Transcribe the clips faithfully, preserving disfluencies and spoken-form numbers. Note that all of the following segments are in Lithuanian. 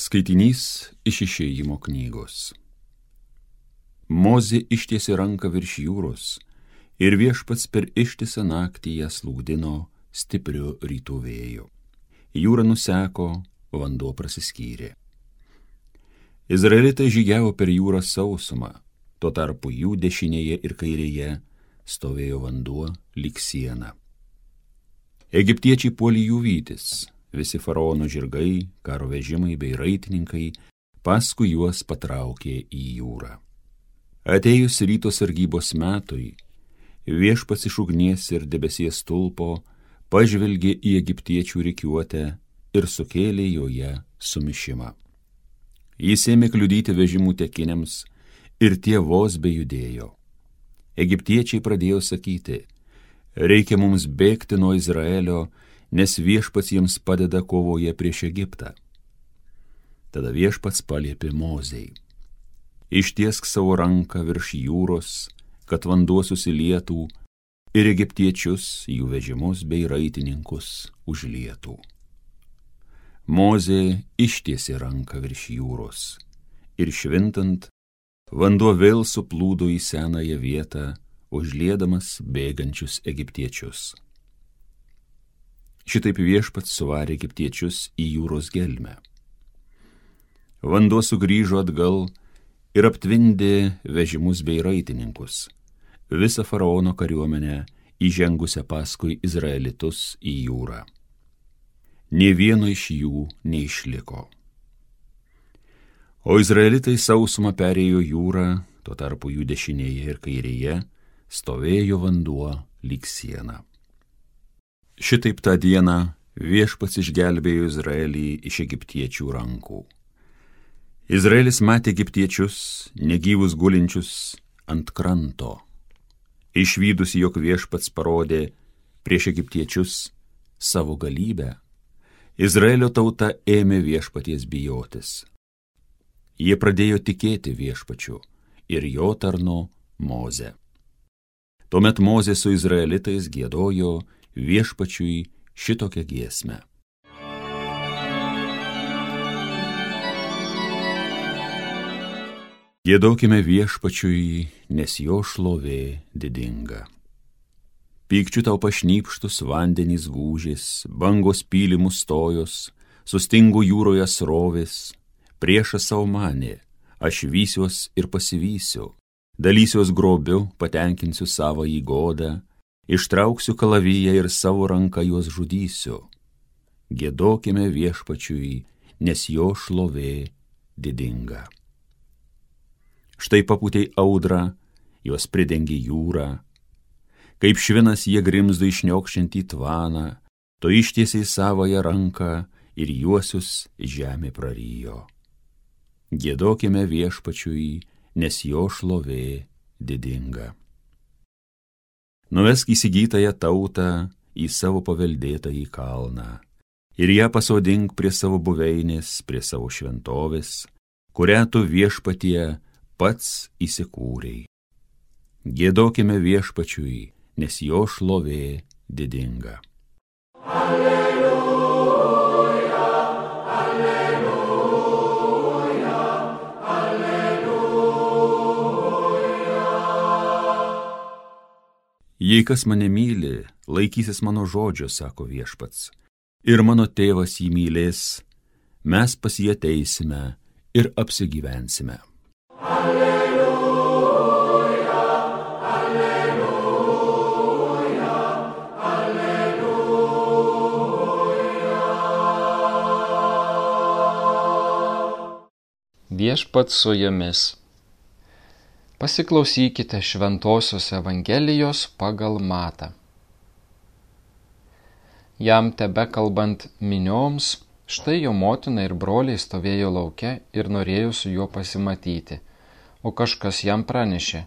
Skaitinys iš Išėjimo knygos. Mozė ištiesė ranką virš jūros, ir Viešpats per ištisą naktį ją slūgdino stipriu rytų vėju. Jūra nuseko, vanduo prasiskyrė. Izraelitai žygiavo per jūrą sausumą, tuo tarpu jų dešinėje ir kairėje stovėjo vanduo lyg siena. Egiptiečiai puolė jų vytis, visi faraono žirgai, karo vežimai bei raitininkai paskui juos patraukė į jūrą. Atėjus ryto sargybos metui, Viešpats iš ugnies ir debesies stulpo pažvelgė į egiptiečių rikiuotę ir sukėlė joje sumišimą. Jis ėmė kliudyti vežimų tekiniams ir tie vos bejudėjo. Egiptiečiai pradėjo sakyti: reikia mums bėgti nuo Izraelio, nes Viešpats jiems padeda kovoje prieš Egiptą. Tada Viešpats paliepė Mozei: ištiesk savo ranką virš jūros, kad vanduo susilietų ir egiptiečius, jų vežimus bei raitininkus užlietų. Mozė ištiesė ranką virš jūros ir švintant, vanduo vėl suplūdo į senąją vietą, užliedamas bėgančius egiptiečius. Šitaip Viešpats suvarė egiptiečius į jūros gelmę. Vanduo sugrįžo atgal ir aptvindė vežimus bei raitininkus, visą faraono kariuomenę įžengusią paskui izraelitus į jūrą. Nė vieno iš jų neišliko. O izraelitai sausumą perėjo jūrą, tuo tarpu jų dešinėje ir kairėje stovėjo vanduo lyg siena. Šitaip tą dieną Viešpats išgelbėjo Izraelį iš egiptiečių rankų. Izraelis matė egiptiečius, negyvus gulinčius ant kranto. Išvydus, jog Viešpats parodė prieš egiptiečius savo galybę, Izraelio tauta ėmė Viešpaties bijotis. Jie pradėjo tikėti Viešpačiu ir jo tarnu Moze. Tuomet Mozė su izraelitais giedojo Viešpačiui šitokią giesmę. Giedokime Viešpačiui, nes jo šlovė didinga. Pykčiu tau pašnypštus vandenys gūžės, bangos pylimus stojos, sustingo jūroje srovės, priešas savo manė, aš vysiuos ir pasivysiu, dalysiuos grobiu, patenkinsiu savo įgodą, ištrauksiu kalaviją ir savo ranką juos žudysiu. Giedokime Viešpačiui, nes jo šlovė didinga. Štai papūtei audrą, jos pridengė jūrą, kaip švinas jie grimzdo išniokščiantį tvaną, to ištiesiai savąją ranką ir juosius žemė prarijo. Giedokime Viešpačiui, nes jo šlovė didinga. Nuvesk įsigytąją tautą į savo paveldėtąjį kalną ir ją pasodink prie savo buveinės, prie savo šventovės, kurią tu Viešpatie pats įsikūrei. Giedokime Viešpačiui, nes jo šlovė didinga. Alleluja, alleluja, alleluja. Jei kas mane myli, laikysis mano žodžio, sako Viešpats, ir mano tėvas jį mylės, mes pas jį ateisime ir apsigyvensime. Alleluja, alleluja, alleluja. Viešpats su jumis. Pasiklausykite Šventosios Evangelijos pagal Matą. Jam tebekalbant minioms, štai jo motina ir broliai stovėjo lauke ir norėjo su juo pasimatyti, o kažkas jam pranešė: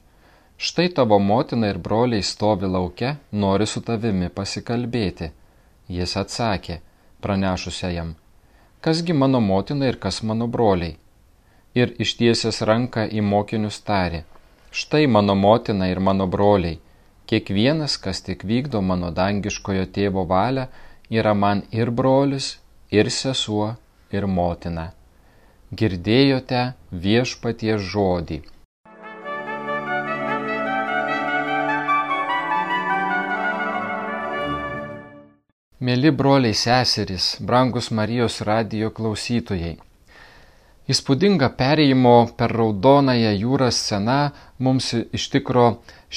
štai tavo motina ir broliai stovi lauke, nori su tavimi pasikalbėti. Jis atsakė, pranešusia jam: kasgi mano motina ir kas mano broliai? Ir ištiesęs ranką į mokinius tarė: štai mano motina ir mano broliai, kiekvienas, kas tik vykdo mano dangiškojo tėvo valią, yra man ir brolis, ir sesuo, ir motina. Girdėjote Viešpaties žodį. Mėly broliai seserys, brangus Marijos radijo klausytojai. Įspūdinga perėjimo per Raudonąją jūrą scena mums iš tikro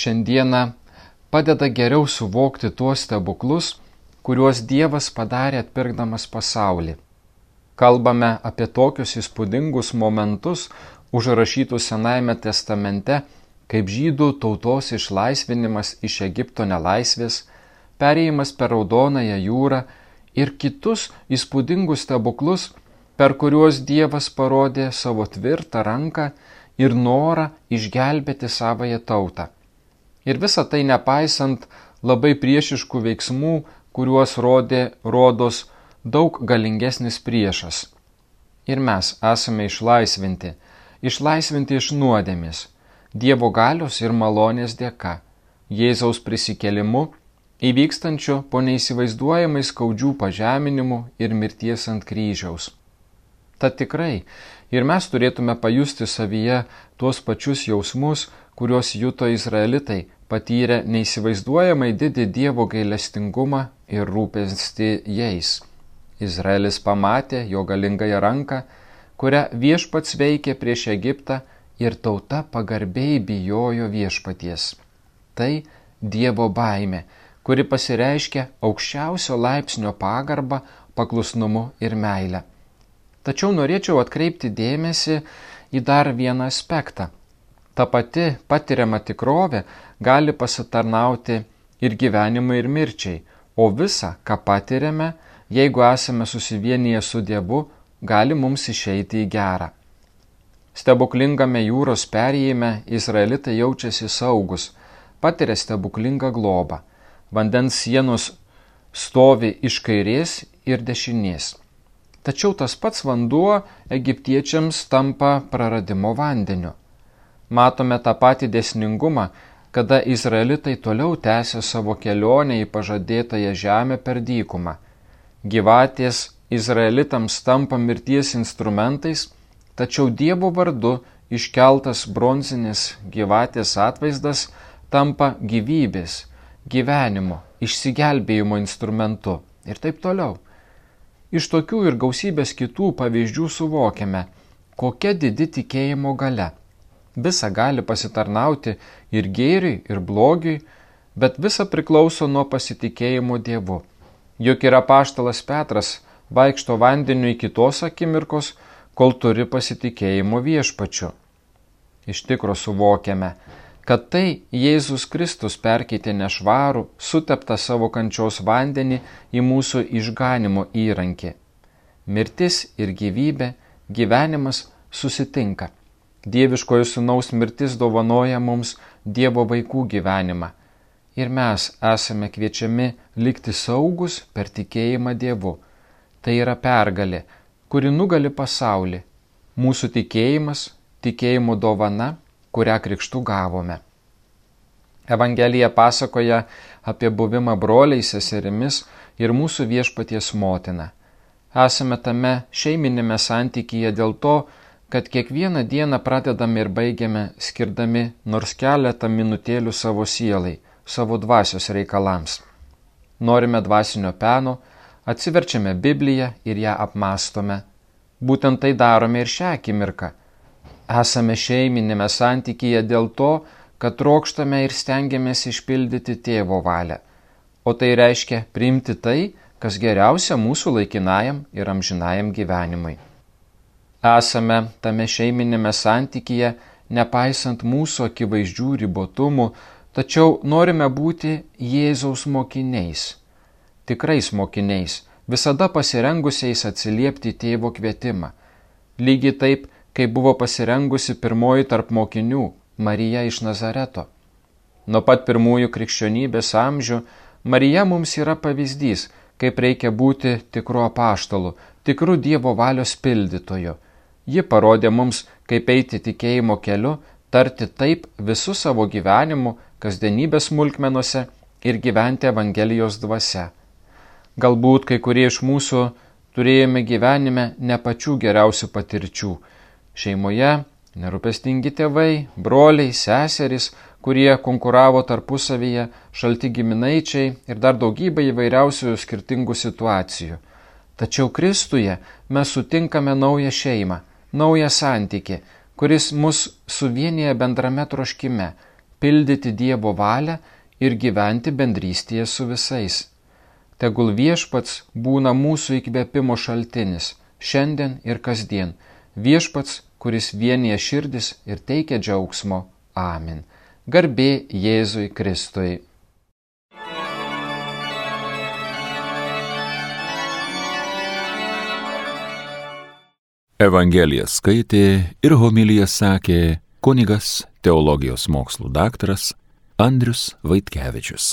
šiandieną padeda geriau suvokti tuos stebuklus, kuriuos Dievas padarė atpirkdamas pasaulį. Kalbame apie tokius įspūdingus momentus, užrašytus Senajame testamente, kaip žydų tautos išlaisvinimas iš Egipto nelaisvės, perėjimas per Raudonąją jūrą ir kitus įspūdingus stebuklus, per kuriuos Dievas parodė savo tvirtą ranką ir norą išgelbėti savąją tautą. Ir visa tai nepaisant labai priešiškų veiksmų, kuriuos rodė rodos daug galingesnis priešas. Ir mes esame išlaisvinti, išlaisvinti iš nuodėmės, Dievo galios ir malonės dėka, Jėzaus prisikėlimu, įvykstančio po neįsivaizduojamai skaudžių pažeminimų ir mirties ant kryžiaus. Tad tikrai ir mes turėtume pajusti savyje tuos pačius jausmus, kuriuos juto izraelitai, patyrę neįsivaizduojamai didį Dievo gailestingumą ir rūpestį jais. Izraelis pamatė jo galingąją ranką, kurią Viešpats veikė prieš Egiptą ir tauta pagarbiai bijojo Viešpaties. Tai Dievo baimė, kuri pasireiškia aukščiausio laipsnio pagarbą, paklusnumu ir meilę. Tačiau norėčiau atkreipti dėmesį į dar vieną aspektą. Ta pati patiriama tikrovė gali pasitarnauti ir gyvenimui ir mirčiai, o visa, ką patiriame, jeigu esame susivienyje su Dievu, gali mums išeiti į gerą. Stebuklingame jūros perėjime izraelitai jaučiasi saugus, patiria stebuklingą globą. Vandens sienos stovi iš kairės ir dešinės. Tačiau tas pats vanduo egiptiečiams tampa praradimo vandeniu. Matome tą patį dėsningumą, kada izraelitai toliau tęsia savo kelionę į pažadėtąją žemę per dykumą. Gyvatės izraelitams tampa mirties instrumentais, tačiau Dievo vardu iškeltas bronzinis gyvatės atvaizdas tampa gyvybės, gyvenimo, išsigelbėjimo instrumentu ir taip toliau. Iš tokių ir gausybės kitų pavyzdžių suvokiame, kokia didi tikėjimo galia. Visa gali pasitarnauti ir gėriui, ir blogiui, bet visa priklauso nuo pasitikėjimo Dievu. Juk ir apaštalas Petras vaikšto vandeniu iki tos akimirkos, kol turi pasitikėjimo Viešpačiu. Iš tikro suvokiame, kad tai Jėzus Kristus perkeitė nešvarų, suteptą savo kančios vandenį į mūsų išganimo įrankį. Mirtis ir gyvybė, gyvenimas susitinka. Dieviškojo Sūnaus mirtis dovanoja mums Dievo vaikų gyvenimą. Ir mes esame kviečiami likti saugus per tikėjimą Dievu. Tai yra pergalė, kuri nugali pasaulį. Mūsų tikėjimas, tikėjimo dovana, kurią krikštu gavome. Evangelija pasakoja apie buvimą broliais, seserimis ir mūsų Viešpaties motina. Esame tame šeiminėme santykyje dėl to, kad kiekvieną dieną pradedame ir baigiame skirdami nors keletą minutėlių savo sielai, savo dvasios reikalams. Norime dvasinio peno, atsiverčiame Bibliją ir ją apmąstome. Būtent tai darome ir šią akimirką. Esame šeiminėme santykyje dėl to, kad trokštame ir stengiamės išpildyti Tėvo valią. O tai reiškia priimti tai, kas geriausia mūsų laikinajam ir amžinajam gyvenimui. Esame tame šeiminėme santykyje, nepaisant mūsų akivaizdžių ribotumų, tačiau norime būti Jėzaus mokiniais, tikrais mokiniais, visada pasirengusiais atsiliepti Tėvo kvietimą. Lygiai taip, kai buvo pasirengusi pirmoji tarp mokinių, Marija iš Nazareto. Nuo pat pirmųjų krikščionybės amžių Marija mums yra pavyzdys, kaip reikia būti tikru apaštalu, tikru Dievo valios pildytoju. Ji parodė mums, kaip eiti tikėjimo keliu, tarti taip visų savo gyvenimu, kasdienybės smulkmenuose ir gyventi Evangelijos dvasia. Galbūt kai kurie iš mūsų turėjome gyvenime ne pačių geriausių patirčių. Šeimoje nerūpestingi tėvai, broliai, seserys, kurie konkuravo tarpusavyje, šalti giminaičiai ir dar daugybė įvairiausių skirtingų situacijų. Tačiau Kristuje mes sutinkame naują šeimą, naują santykį, kuris mus suvienyje bendrame troškime – pildyti Dievo valią ir gyventi bendrystėje su visais. Tegul Viešpats būna mūsų įkvėpimo šaltinis, šiandien ir kasdien. Viešpats, kuris vienyje širdis ir teikia džiaugsmo. Amen. Garbė Jėzui Kristui. Evangeliją skaitė ir homiliją sakė kunigas, teologijos mokslų daktaras Andrius Vaitkevičius.